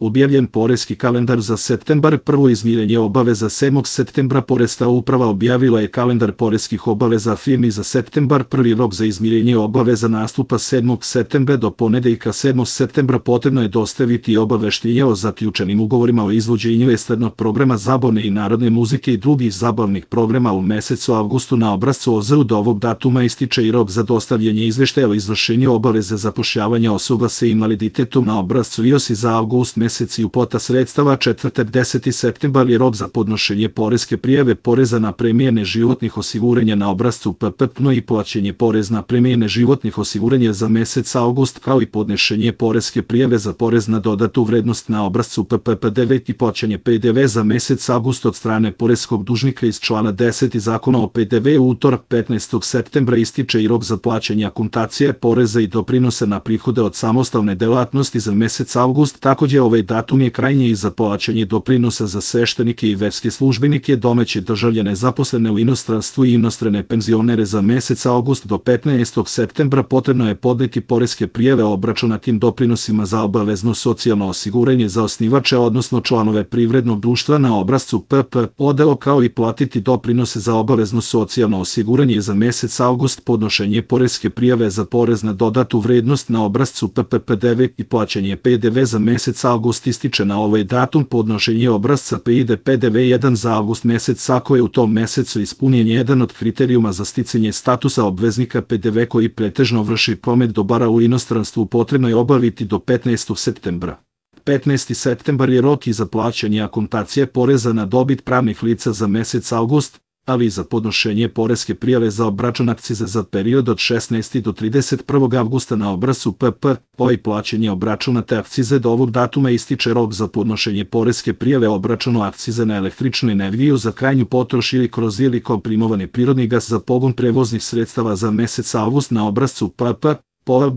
Objavljen poreski kalendar za septembar. Prvo izmirenje obaveza 7. septembra. Poreska uprava objavila je kalendar poreskih obaveza firmi za septembar. Prvi rok za izmirenje obaveza nastupa 7. septembra. Do ponedeljka 7. septembra potrebno je dostaviti obaveštenje o zaključenim ugovorima o izvođenju estradnog programa zabavne i narodne muzike i drugih zabavnih programa u mesecu avgustu na obrascu OZU. Do ovog datuma ističe i rok za dostavljanje izveštaja o izvršenju obaveze zapošljavanja osoba sa invaliditetom na obrascu IOS za avgust mesec i uplata sredstava. Četvrtak 10. septembar je rok za podnošenje poreske prijave poreza na premije neživotnih osiguranja na obrascu PPPNO i plaćanje porez na premije neživotnih osiguranja za mesec avgust, kao i podnošenje poreske prijave za porez na dodatu vrednost na obrascu PPP9 i plaćanje PDV za mesec avgust od strane poreskog dužnika iz člana 10. Zakona o PDV. U utorak 15. septembra ističe i rok za plaćanje akontacije poreza i doprinosa na prihode od samostalne delatnosti za mesec avgust. Takođe, ovaj datum je krajnji i za plaćanje doprinosa za sveštenike i verske službenike, domaće državljane zaposlene u inostranstvu i inostrane penzionere za mesec avgust. Do 15. septembra potrebno je podneti poreske prijave o obračunatim doprinosima za obavezno socijalno osiguranje za osnivače, odnosno članove privrednog društva na obrascu PPODO, kao i platiti doprinose za obavezno socijalno osiguranje za mesec avgust. Podnošenje poreske prijave za porez na dodatu vrednost na obrascu PPP9 i plaćanje PDV za mesec avgust ističe na ovaj datum. Podnošenje obrasca PID PDV1 za avgust mesec ako je u tom mesecu ispunjen jedan od kriterijuma za sticanje statusa obveznika PDV koji pretežno vrši promet dobara u inostranstvu, potrebno je obaviti do 15. septembra. 15. septembar je rok i za plaćanje akontacije poreza na dobit pravnih lica za mesec avgust, ali i za podnošenje poreske prijave za obračun akcize za period od 16. do 31. avgusta na obrascu PPO i plaćanje obračunate akcize. Do ovog datuma ističe rok za podnošenje poreske prijave o obračunu akcize na električnu energiju za krajnju potrošnju ili kroz ili komprimovani prirodni gas za pogon prevoznih sredstava za mesec avgust na obrascu PPO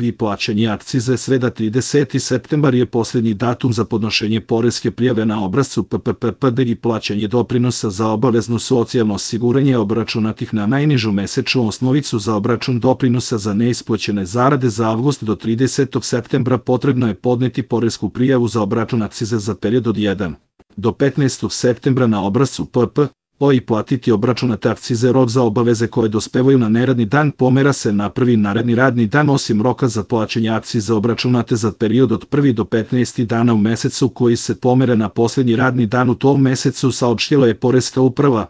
i plaćanje akcize. Sreda 30. septembar je posljednji datum za podnošenje poreske prijave na obrascu PPPD i plaćanje doprinosa za obavezno socijalno osiguranje obračunatih na najnižu mesečnu osnovicu za obračun doprinosa za neisplaćene zarade za avgust. Do 30. septembra potrebno je podneti poresku prijavu za obračun akcize za period od 1. do 15. septembra na obrascu PPO i platiti obračunate akcize. Rok za obaveze koje dospevaju na neradni dan pomera se na prvi naredni radni dan, osim roka za plaćanje akcize obračunate za period od 1. do 15. dana u mesecu koji se pomere na posljednji radni dan u tom mesecu, saopštila je Poreska uprava.